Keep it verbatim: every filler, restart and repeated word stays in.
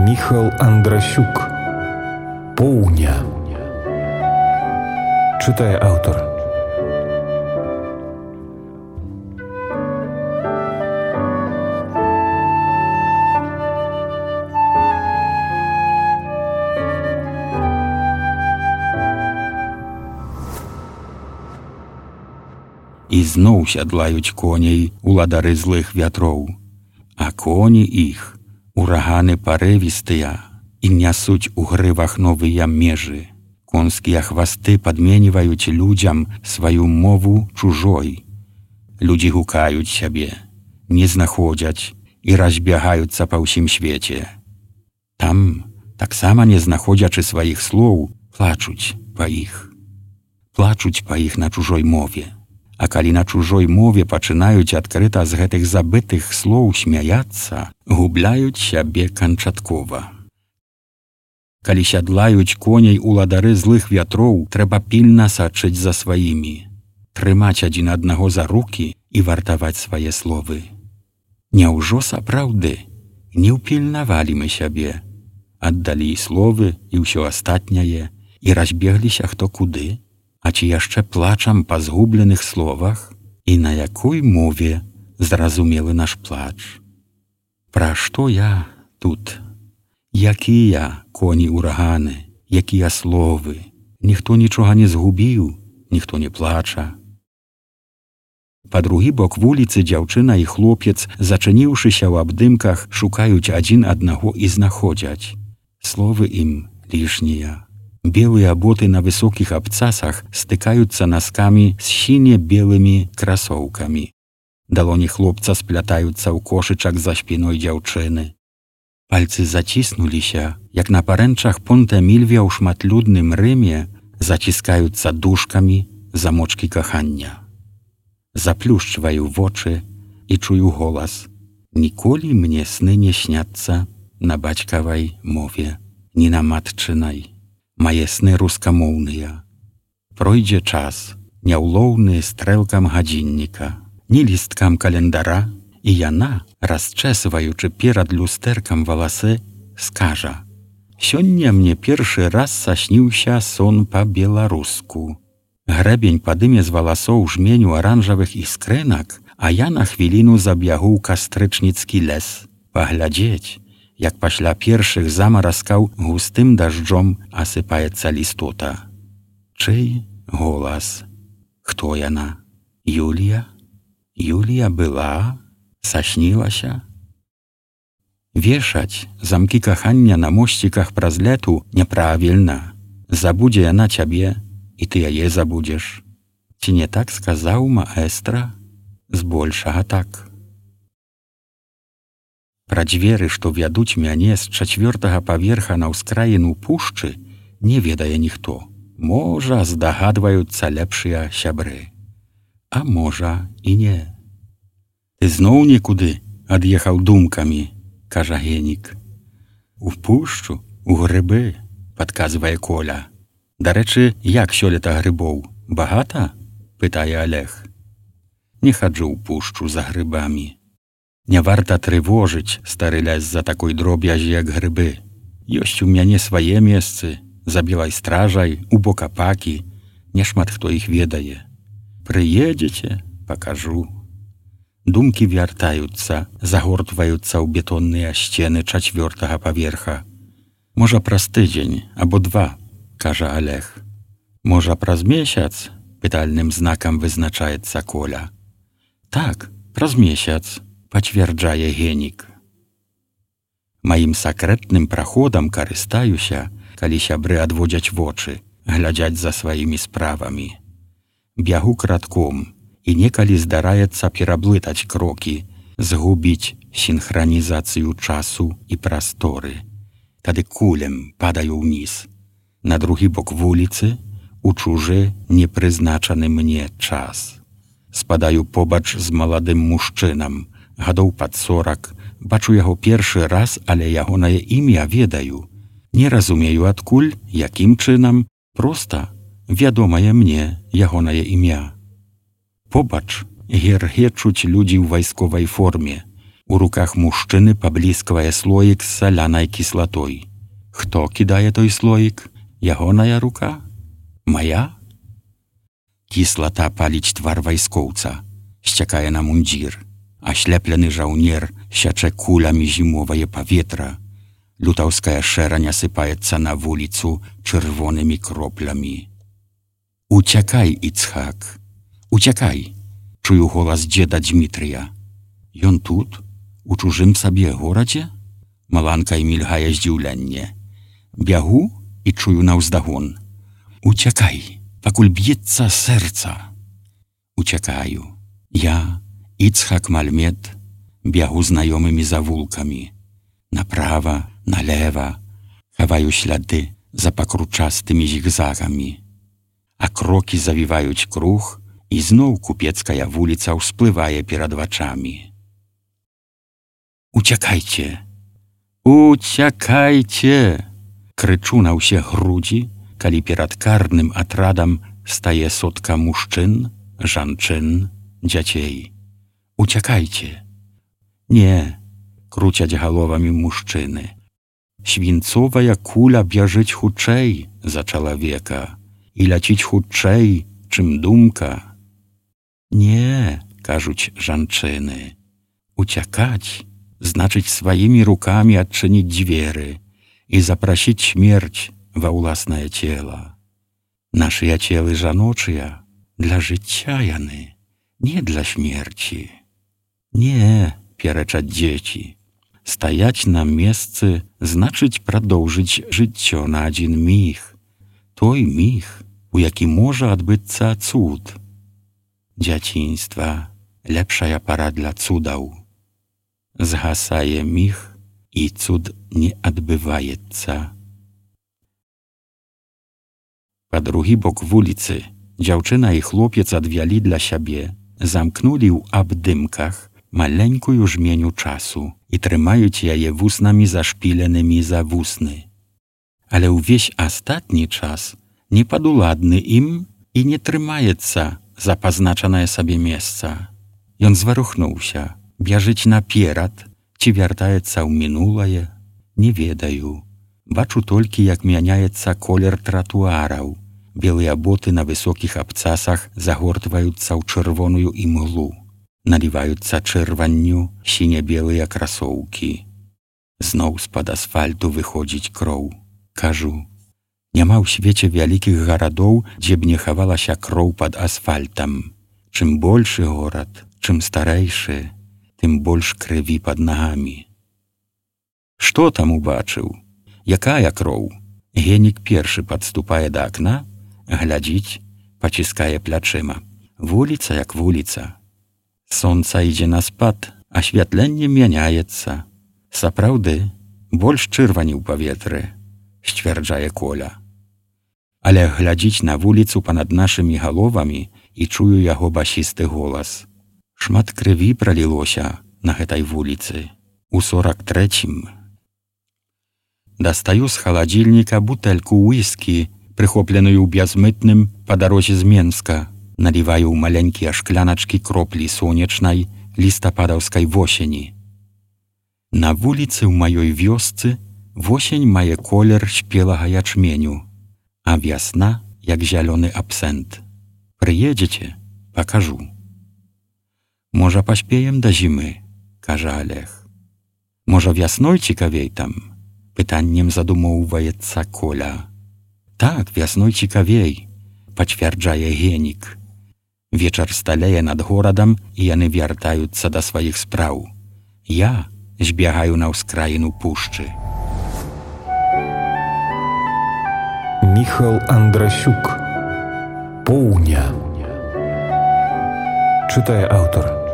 Міхал Андрасюк. Поўня. Чытае аўтар. І зноў сядлаюць коней уладары злых вятроў, а коні іх ураганы парывістыя і нясуць у грывах новыя межы. Конскія хвасты падменіваюць людзям сваю мову чужой. Людзі гукаюць сябе, не знаходзяць і разбягаюцца па ўсім свеце. Там, таксама не знаходзячы сваіх слоў, плачуць па іх. Плачуць па іх на чужой мове. А калі на чужой мове пачынаюць адкрыта з гэтых забытых слоў смяяцца, губляюць сябе канчаткова. Калі сядлаюць коней уладары злых вятроў, трэба пільна сачыць за сваімі, трымаць адзін аднаго за рукі і вартаваць свае словы. Няўжо сапраўды не ўпільнавалі мы сябе, аддалі словы і ўсё астатняе і разбегліся хто куды? А ці яшчэ плачам па згубленых словах? І на якой мове зразумелы наш плач? Пра што я тут? Якія коні-ураганы, якія словы? Ніхто нічога не згубіў, ніхто не плача. Па другі бок вуліцы дзяўчына і хлопец, зачыніўшыся ў абдымках, шукаюць адзін аднаго і знаходзяць. Словы ім лішнія. Белыя боты на высокіх абцасах стыкаюцца наскамі з сіне-белымі красоўкамі. Далоні хлопца сплятаюцца ў кошычак за спіной дзяўчыны. Пальцы заціснуліся, як на парэнчах Понта-Мільвія ў шматлюдным Рыме заціскаюцца дужкамі замочкі кахання. Заплюшчваю вочы і чую голас. Ніколі мне сны не сняцца на бацькавай мове, ні на матчынай. Мае сны рускамоўныя. Пройдзе час, няўлоўны стрэлкам гадзінніка, ні лісткам календара, і яна, расчэсваючы перад люстэркам валасы, скажа: «Сёння мне першы раз сасніўся сон па-беларуску». Грэбень падыме з валасоў жменю аранжавых іскрынак, а я на хвіліну забягу ў кастрычніцкі лес, паглядзець, як пасля першых замаразкаў густым дажджом асыпаецца лістота. Чый голас? Хто яна? Юлія? Юлія была? Саснілася? Вешаць замкі кахання на мосціках праз лету няправільна. Забудзе яна цябе, і ты яе забудзеш. Ці не так сказаў маэстра? Збольшага так. Пра дзверы, што вядуць мяне з чацвёртага паверха на ўскраіну пушчы, не ведае ніхто. Можа, здагадваюцца лепшыя сябры. А можа, і не. «Ты зноў некуды ад'ехаў думкамі», – кажа Генік. «У пушчу, у грыбы», – падказвае Коля. «Дарэчы, як сёлета грыбоў? Багата?» – пытае Алег. «Не хаджу ў пушчу за грыбамі. Не варта трывожыць стары лес за такой дробязі, як грыбы. Ёсць у мяне свае месцы, за белай стражай, у бок апакі. Няшмат хто іх ведае. Прыедзеце, пакажу». Думкі вяртаюцца, загортваюцца ў бетонныя сцены чацвёртага паверха. «Можа, праз тыдзень, або два», – кажа Алег. «Можа, праз месяц?» – пытальным знакам вызначаецца Коля. «Так, праз месяц», – пацвярджае Генік. Маім сакрэтным праходам карыстаюся, калі сябры адводзяць вочы, глядзяць за сваімі справамі. Бягу крадком, і некалі здараецца пераблытаць крокі, згубіць сінхранізацыю часу і прасторы. Тады кулем падаю ўніз, на другі бок вуліцы, у чужы непрызначаны мне час. Спадаю побач з маладым мужчынам, гадоў пад сорак, бачу яго першы раз, але ягонае імя ведаю. Не разумею адкуль, якім чынам, проста вядомае мне ягонае імя. Побач гергечуць людзі ў вайсковай форме, У руках мужчыны паблісквае слоік з салянай кіслатой. Хто кідае той слоік? Ягоная рука? Мая? Кіслата паліць твар вайскоўца, сцякае на мундзір. Ашляплены жаўнер сячэ кулямі зімовае паветра. Лютаўская шэрань асыпаецца на вуліцу чырвонымі кроплямі. «Уцякай, Іцхак, уцякай!» Чую голас дзеда Дзмітрыя. Ён тут, у чужым сабе горадзе? Маланкай мільгае здзіўленне. Бягу і чую наўздагон. «Уцякай, пакуль б'ецца сэрца!» Уцякаю. Я, Іцхак Мальмет, бягу знаёмымі завулкамі. Направа, налева, хаваю сляды за пакручастымі зігзагамі. А крокі завіваюць круг, і зноў купецкая вуліца ўсплывае перад вачамі. «Уцякайце! Уцякайце!» Крычу на ўсе грудзі, калі перад карным атрадам стае сотка мужчын, жанчын, дзяцей. «Уцякайце!» «Не!» круцяць галовамі мужчыны. Свінцовая куля бяжыць хутчэй за чалавека і ляціць хутчэй, чым думка. «Не!» кажуць жанчыны. «Уцякаць значыць сваімі рукамі адчыніць дзверы і запрасіць смерць ва ўласнае цела. Нашыя целы жаночыя для жыцця яны, не для смерці». «Не!» перачаць дзеці. Стаяць на месцы значыць прадоўжыць жыццё на адзін міг. Той міг, у які можа адбыцца цуд. Дзяцінства — лепшая пара для цудаў. Згасае міг, і цуд не адбываецца. Па другі бок вуліцы дзяўчына і хлопец адвялі для сябе, замкнулі ў абдымках маленькую жменю часу і трымаюць яе вуснамі зашпіленымі за вусны. Але ўвесь астатні час не падуладны ім і не трымаецца за пазначанае сабе месца. Ён зварухнуўся, бяжыць наперад ці вяртаецца ў мінулае, не ведаю. Бачу толькі, як мяняецца колер тратуараў. Белыя боты на высокіх абцасах загортваюцца ў чырвоную імглу. Наліваюцца чырванню сіне-белыя красоўкі. Зноў з-пад асфальту выходзіць кроў. Кажу, няма ў свеце вялікіх гарадоў, дзе б не хавалася кроў пад асфальтам. Чым большы горад, чым старэйшы, тым больш крыві пад нагамі. Што там убачыў? Якая кроў? Генік першы падступае да акна, глядзіць, паціскае плячыма. Вуліца як вуліца. Сонца ідзе на спад, асвятленне мяняецца. Сапраўды, больш чырвані ў паветры, сцвярджае Коля. Але глядзіць на вуліцу панад нашымі галовамі і чую яго басісты голас. Шмат крыві пралілося на гэтай вуліцы. У сорак трэцім. Дастаю з халадзільніка бутэльку уіскі, прыхопленую бязмытным па дарозе з Менска. Наліваю ў маленькія шкляначкі кроплі сонечнай лістападаўскай восені. На вуліцы ў маёй вёсцы восень мае колер спелага ячменю, а вясна як зялёны абсент. Прыедзеце, пакажу. Можа, паспеем да зімы, кажа Олег. Можа, вясной цікавей там? Пытаннем задумоўваецца Коля. Так, вясной цікавей, пацвярджае Генік. Вечар сталее над горадам, і яны вяртаюцца да сваіх спраў. Я збягаю на ўскраіну пушчы. Міхал Андрасюк. Поўня. Чытае аўтар.